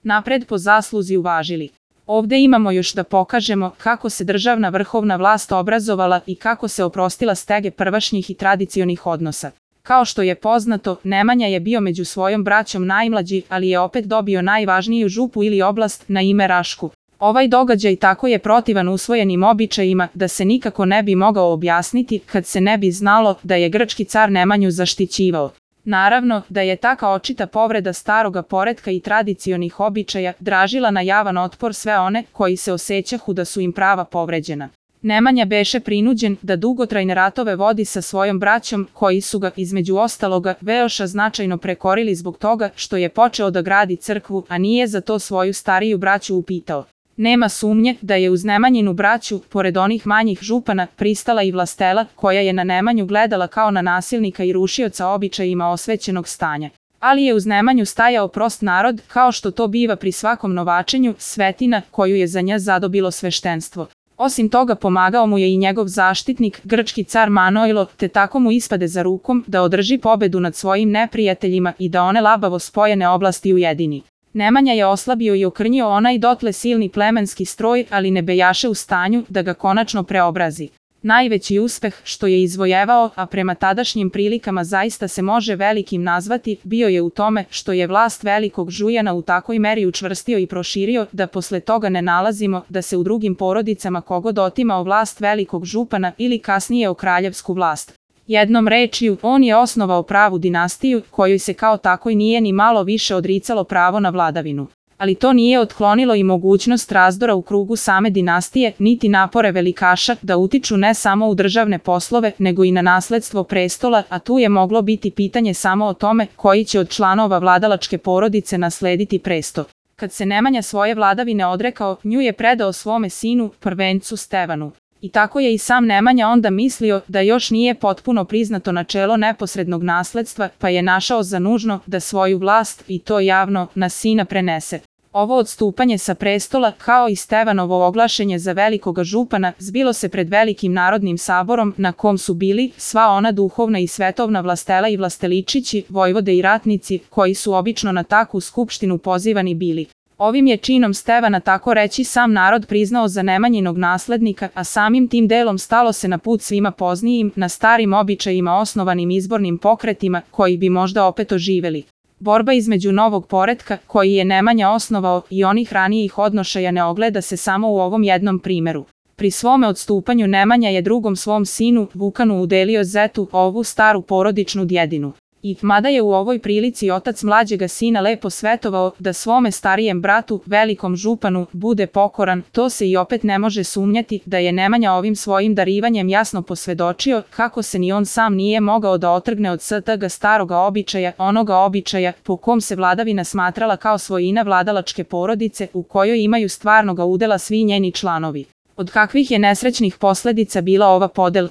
napred po zasluzi uvažili. Ovde imamo još da pokažemo kako se državna vrhovna vlast obrazovala i kako se oprostila stege prvašnjih i tradicionih odnosa. Kao što je poznato, Nemanja je bio među svojom braćom najmlađi, ali je opet dobio najvažniju župu ili oblast na ime Rašku. Ovaj događaj tako je protivan usvojenim običajima da se nikako ne bi mogao objasniti kad se ne bi znalo da je grčki car Nemanju zaštićivao. Naravno da je taka očita povreda staroga poretka i tradicionih običaja dražila na javan otpor sve one koji se osjećahu da su im prava povređena. Nemanja beše prinuđen da dugotrajne ratove vodi sa svojom braćom koji su ga, između ostaloga, veoša značajno prekorili zbog toga što je počeo da gradi crkvu, a nije za to svoju stariju braću upitao. Nema sumnje da je uz Nemanjinu braću, pored onih manjih župana, pristala i Vlastela, koja je na Nemanju gledala kao na nasilnika i rušioca običajima osvećenog stanja. Ali je uz Nemanju stajao prost narod, kao što to biva pri svakom novačenju, svetina koju je za nja zadobilo sveštenstvo. Osim toga pomagao mu je i njegov zaštitnik, grčki car Manojlo, te tako mu ispade za rukom da održi pobedu nad svojim neprijateljima i da one labavo spojene oblasti ujedini. Nemanja je oslabio i okrnjio onaj dotle silni plemenski stroj, ali ne bejaše u stanju da ga konačno preobrazi. Najveći uspeh što je izvojevao, a prema tadašnjim prilikama zaista se može velikim nazvati, bio je u tome što je vlast velikog Žujana u takoj meri učvrstio i proširio da posle toga ne nalazimo da se u drugim porodicama kogod otimao vlast velikog župana ili kasnije o kraljevsku vlast. Jednom rečju, on je osnovao pravu dinastiju, kojoj se kao takoj nije ni malo više odricalo pravo na vladavinu. Ali to nije otklonilo i mogućnost razdora u krugu same dinastije, niti napore velikaša da utiču ne samo u državne poslove, nego i na nasledstvo prestola, a tu je moglo biti pitanje samo o tome koji će od članova vladalačke porodice naslediti presto. Kad se Nemanja svoje vladavine odrekao, nju je predao svome sinu, prvencu Stevanu. I tako je i sam Nemanja onda mislio da još nije potpuno priznato načelo neposrednog nasledstva, pa je našao za nužno da svoju vlast, i to javno, na sina prenese. Ovo odstupanje sa prestola, kao i Stevanovo oglašenje za velikoga župana, zbilo se pred velikim narodnim saborom na kom su bili sva ona duhovna i svetovna Vlastela i Vlasteličići, vojvode i ratnici, koji su obično na takvu skupštinu pozivani bili. Ovim je činom Stevana tako reći sam narod priznao za Nemanjinog naslednika, a samim tim delom stalo se na put svima poznijim, na starim običajima osnovanim izbornim pokretima, koji bi možda opet oživeli. Borba između novog poretka, koji je Nemanja osnovao, i onih ranijih odnošaja ne ogleda se samo u ovom jednom primeru. Pri svome odstupanju Nemanja je drugom svom sinu, Vukanu, udelio Zetu, ovu staru porodičnu djedinu. I mada je u ovoj prilici otac mlađega sina lepo svetovao da svome starijem bratu, velikom županu, bude pokoran, to se i opet ne može sumnjati da je Nemanja ovim svojim darivanjem jasno posvedočio kako se ni on sam nije mogao da otrgne od stga staroga običaja, onoga običaja po kom se vladavina smatrala kao svojina vladalačke porodice u kojoj imaju stvarnoga udela svi njeni članovi. Od kakvih je nesrećnih posledica bila ova podela?